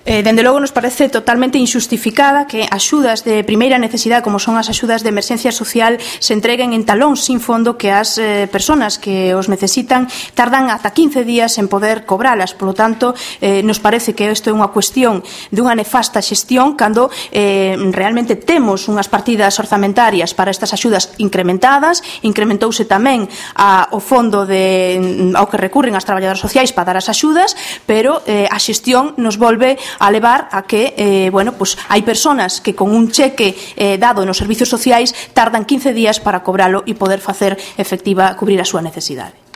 Dende logo nos parece totalmente injustificada que axudas de primeira necesidade, como son as axudas de emerxencia social, se entreguen en talóns sin fondo, que as persoas que os necesitan tardan ata 15 días en poder cobralas. Por lo tanto, nos parece que isto é unha cuestión dunha nefasta xestión cando realmente temos unhas partidas orzamentarias para estas axudas incrementadas. Incrementouse tamén o fondo ao que recurren as traballadoras sociais para dar as axudas, pero a xestión nos volve a levar a que, hai persoas que con un cheque dado nos servizos sociais tardan 15 días para cobralo e poder facer efectiva, cubrir a súa necesidade.